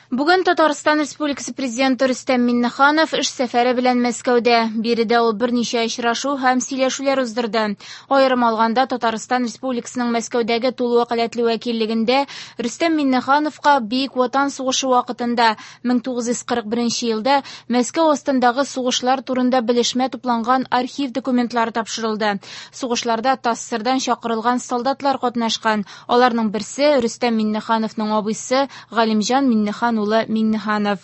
Бүген Татарстан Республикасы Президенты Рөстәм Миңнеханов эш сәфәре белән Мәскәүдә. Биредә ул берничә очрашу һәм сөйләшүләр уздырды. Аерым алганда, Татарстан Республикасының Мәскәүдәге тулы вәкаләтле вәкиллегендә Рөстәм Миңнехановка Бөек Ватан сугышы вакытында 1941 елда Мәскәү астындагы сугышлар турында белешмә тупланган архив документлары тапшырылды. Сугышларда ТАССРдан чакырылган солдатлар катнашкан. Аларның берсе Рөстәм Миңнехановның абыйсы Галимҗан Миңнехан улы Миңнеханов.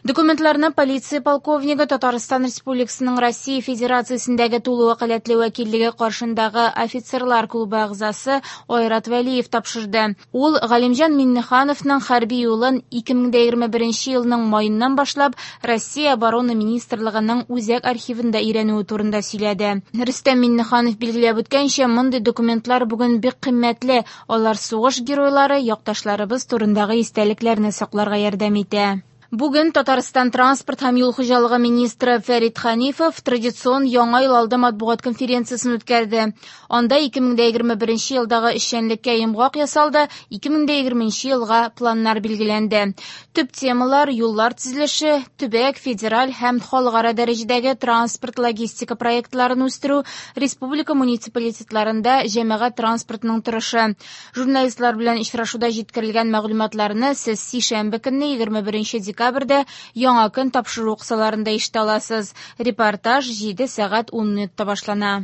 Документларны полиция полковнигы Татарстан Республикасының Россия Федерациясендәге тулы вәкаләтле вәкиллеге каршындагы офицерлар клубы әгъзасы Айрат Вәлиев тапшырды. Ул Галимҗан Миңнехановның хәрби юлын 2021 елның маеннан башлап Россия Оборона Министрлыгының үзәк архивында өйрәнүе турында сөйләде. Рөстәм Миңнеханов билгеләп үткәнчә, мондый документлар бүген бик кыйммәтле. Алар сугыш геройлары, якташларыбыз турындагы истәлекләрне сакларга ярдәм итә. Бүген Татарстан транспорт һәм юл хуҗалыгы министры Фәрит Ханифов традицион Яңа ел алды матбугат конференциясен үткәрде. Анда 2021 елдагы эшчәнлеккә йомгак ясалды, 2020 елга планнар билгеләнде. Төп темалар юллар төзелеше, төбәк, федераль һәм халыкара дәрәҗәдәге транспорт-логистика проектларын үстерү, республика муниципалитетларында җәмәгать транспортының торышы. Журналистлар белән очрашуда җиткерелгән мәгълүматларны сез сишәмбе көнне 21 декабрьдә Яңа көн тапшыру кысаларында ишетә аласыз. Репортаж 7 сәгать 10 минутта башлана.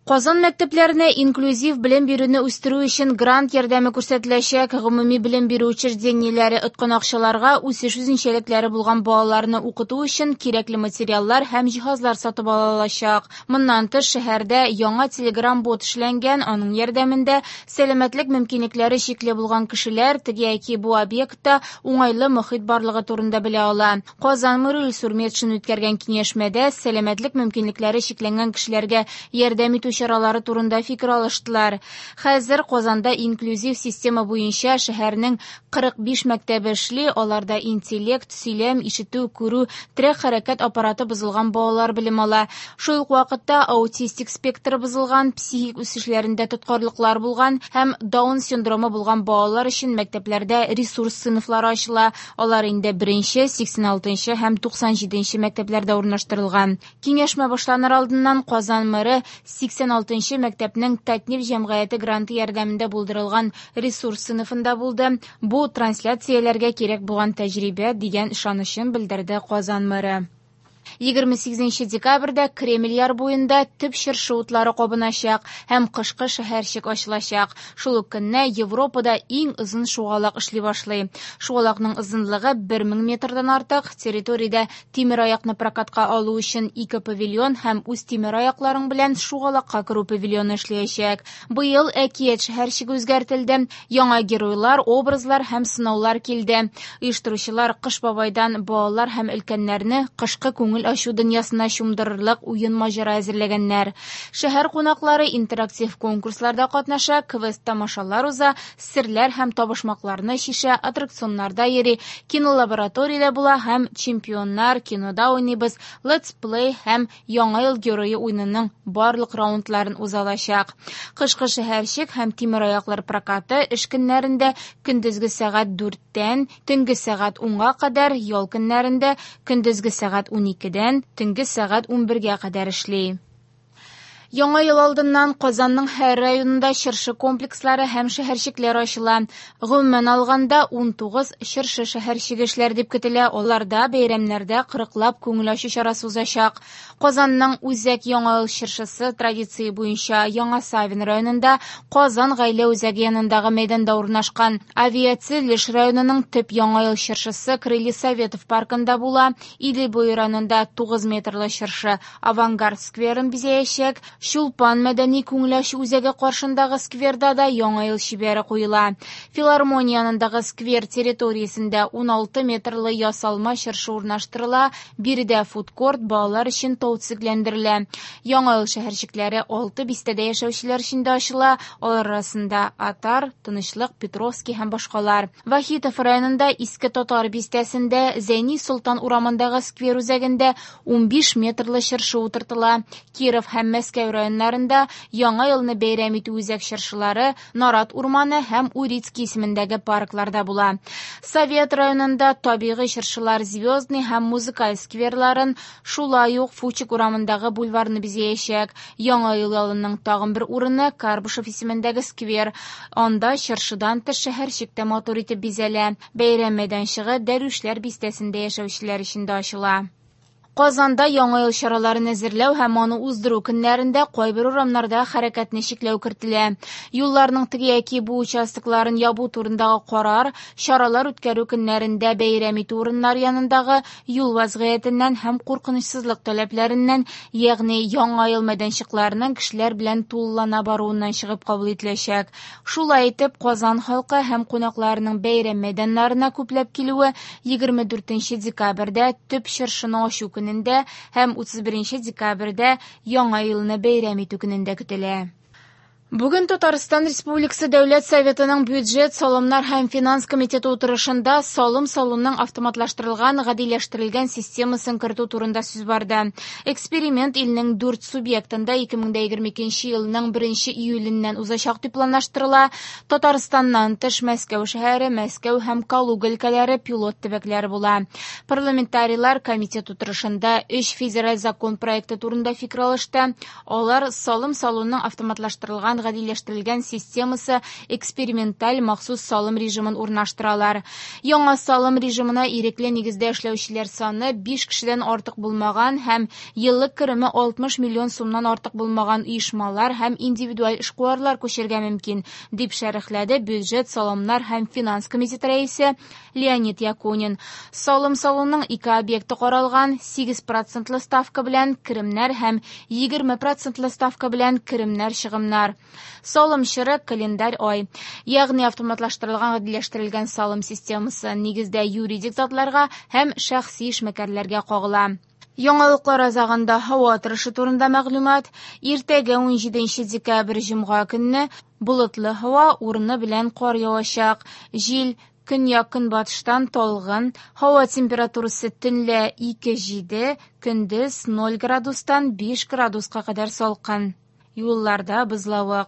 Казан мәктәпләренә инклюзив белем бирүне үстерү өчен грант ярдәме күрсәтеләчәк. Гомуми белем бирү учреждениеләре откан акчаларга үсеш үзенчәлекләре булган балаларны укыту өчен кирәкле материаллар һәм җиһазлар сатып ала алачак. Моннан тыш, шәһәрдә яңа телеграм-бот эшләнгән, аның ярдәмендә сәламәтлек мөмкинлекләре чикле булган кешеләр теге яки бу объектта уңайлы мохит барлыгы турында белә ала. Казан мэры Илсур Метшин үткәргән киңәшмәдә сәламәтлек мөмкинлекләре чикләнгән кешеләргә ярдәм итү чаралары турында фикер алыштылар. Хәзер Казанда инклюзив система буенча шәһәрнең 45 мәктәбе эшли, аларда интеллект, сөйләм, ишетү, күрү, терәк хәрәкәт аппараты бозылган балалар белем ала. Шул ук вакытта аутистик спектры бозылган, психик үсешләрендә тоткарлыклар булган һәм Даун синдромы булган балалар өчен мәктәпләрдә ресурс сыйныфлары ачыла. Алар инде 1-нче, 86-нчы һәм 97-нче мәктәпләрдә урнаштырылган. Киңәшмә башланыр алдыннан Казан мэры 86-нчы мәктәпнең Татнефть җәмгыяте гранты ярдәмендә булдырылган ресурс сыйныфында булды. Бу трансляцияләргә кирәк булган тәҗрибә дигән ышанычын белдерде Казан мэры. 28 декабрьдә Кремль яр буенда төп чыршы утлары кабыначак һәм кышкы шәһәрчек ачылачак. Шул ук көнне Европада иң озын шугалак эшли башлый. Шугалакның озынлыгы 1000 метрдан артык. Территориядә тимер аякны прокатка алу өчен ике павильон һәм үз тимер аякларың белән шугалакка керү павильоны эшләячәк. Быел әкият шәһәрчеге үзгәртелде. Яңа геройлар, образлар һәм сынаулар килде. Оештыручылар Кыш бабайдан балалар һәм өлкәннәрне кышкы күңел ачу дөньясына чумдырырлык уен маҗара әзерләгәннәр. Шәһәр кунаклары интерактив конкурсларда катнаша, квест тамашалар уза, серләр һәм табышмакларны чишә, аттракционнарда йөри, кинолабораториядә була һәм чемпионнар, кинода уйныйбыз, летсплей һәм Яңа ел герое уенының барлык раундларын уза алачак. Кышкы шәһәрчек һәм тимераяклар прокаты эш көннәрендә көндезге сәгать 4-тән төнге сәгать 10-га кадәр, ял көннәрендә көндезге сәгать 12-дән төнге сәгать 11-гә кадәр эшли. Яңа ел алдыннан Казанның һәр районында чыршы комплекслары һәм шәһәрчекләр ачыла. Гомумән алганда 19 чыршы шәһәрчеге эшләр дип көтелә. Аларда бәйрәмнәрдә кырыклап күңел ачу чарасы узачак. Казанның үзәк Яңа ел чыршысы традиция буенча Яңа Савин районында Казан гаилә үзәге янындагы мәйданда урнашкан. Авиатөзелеш районының төп Яңа ел чыршысы Крылья Советов паркында була. Идел буе районында 9 метрлы чыршы Авангард скверын бизәячәк. Чулпан мәдәни күңел ачу үзәге каршындагы скверда да Яңа ел чибәре куела. Филармония янындагы сквер территориясендә 16 метрлы ясалма чыршы урнаштырыла. Биредә фудкорт балалар өчен тау төзекләндерелә. Яңа ел шәһәрчекләре 6 бистәдә яшәүчеләр өчен дә ачыла. Алар арасында Атар, Тынычлык, Петровский һәм башкалар. Вахитов районында Иске Татар бистәсендә Зәйни Солтан урамындагы сквер үзәгендә 15 метрлы чыршы утыртыла. Киров һәм Мәскәү Мәскәү районнарында Яңа елны бәйрәм итү үзәк чыршылары Нарат урманы һәм Урицкий исемендәге паркларда була. Совет районында табигый чыршылар Звездный һәм Музыкаль скверларын, шулай ук Фучик урамындагы бульварны бизәячәк. Яңа ел ялының тагын бер урыны Карбышев исемендәге сквер. Анда чыршыдан тыш шәһәрчек тә матур итеп бизәлә. Бәйрәм мәйданчыгы Дәрвишләр бистәсендә яшәүчеләр өчен дә ачыла. Казанда Яңа ел чараларын әзерләү һәм аны уздыру көннәрендә кайбер урамнарда хәрәкәтне чикләү кертелә. Юлларның теге яки бу участокларын ябу турындагы карар чаралар үткәрү көннәрендә бәйрәм итү урыннары янындагы юл вазгыятеннән һәм куркынычсызлык таләпләреннән, ягъни Яңа ел мәйданчыкларының кешеләр белән тулылана баруыннан чыгып кабул ителәчәк. Шулай итеп, Казан халкы һәм кунакларының бәйрәм мәйданнарына күпләп килүе 24 декабрьдә төп чыршыны ачу көнендә һәм 31 декабрьдә Яңа елны бәйрәм итү көнендә көтелә. Бүген Татарстан Республикасы Дәүләт Советының бюджет, салымнар һәм финанс комитеты утырышында салым салуның автоматлаштырылган, гадиләштерелгән системасын кертү турында сүз барды. Эксперимент илнең дүрт субъектында 2022 елның 1 июленнән узачак дип планлаштырыла. Татарстаннан тыш Мәскәү шәһәре, Мәскәү һәм Калуга өлкәләре пилот төбәкләре була. Парламентарийлар комитет утырышында өч федераль закон проекты турында фикер алышты. Алар салым салуның автоматлаштырылган гадиләштерелгән системасы эксперименталь махсус салым режимын урнаштыралар. Яңа салым режимына ирекле нигездә эшләүчеләр саны 5 кешедән артык булмаган һәм еллык кереме 60 миллион сумнан артык булмаган оешмалар һәм индивидуаль эшкуарлар күчәргә мөмкин, дип шәрехләде бюджет, салымнар һәм финанс комитеты рәисе Леонид Якунин. Салым салуның ике объекты каралган: 8 процентлы ставка белән керемнәр һәм 20 процентлы ставка белән керемнәр-чыгымнар. Салым чоры календарь ай, ягъни автоматлаштырылган гадиләштерелгән салым системасы нигездә юридик затларга һәм шәхси эшмәкәрләргә кагыла. Яңалыклар азагында һава торышы турында мәгълүмат. Иртәгә 17 декабрь җомга көнне болытлы һава, урыны белән кар явачак. Җил көньяк-көнбатыштан талгын, һава температурасы төнлә 2-7, көндез 0 градустан 5 градуска кадәр салкын. Юлларда бозлавык.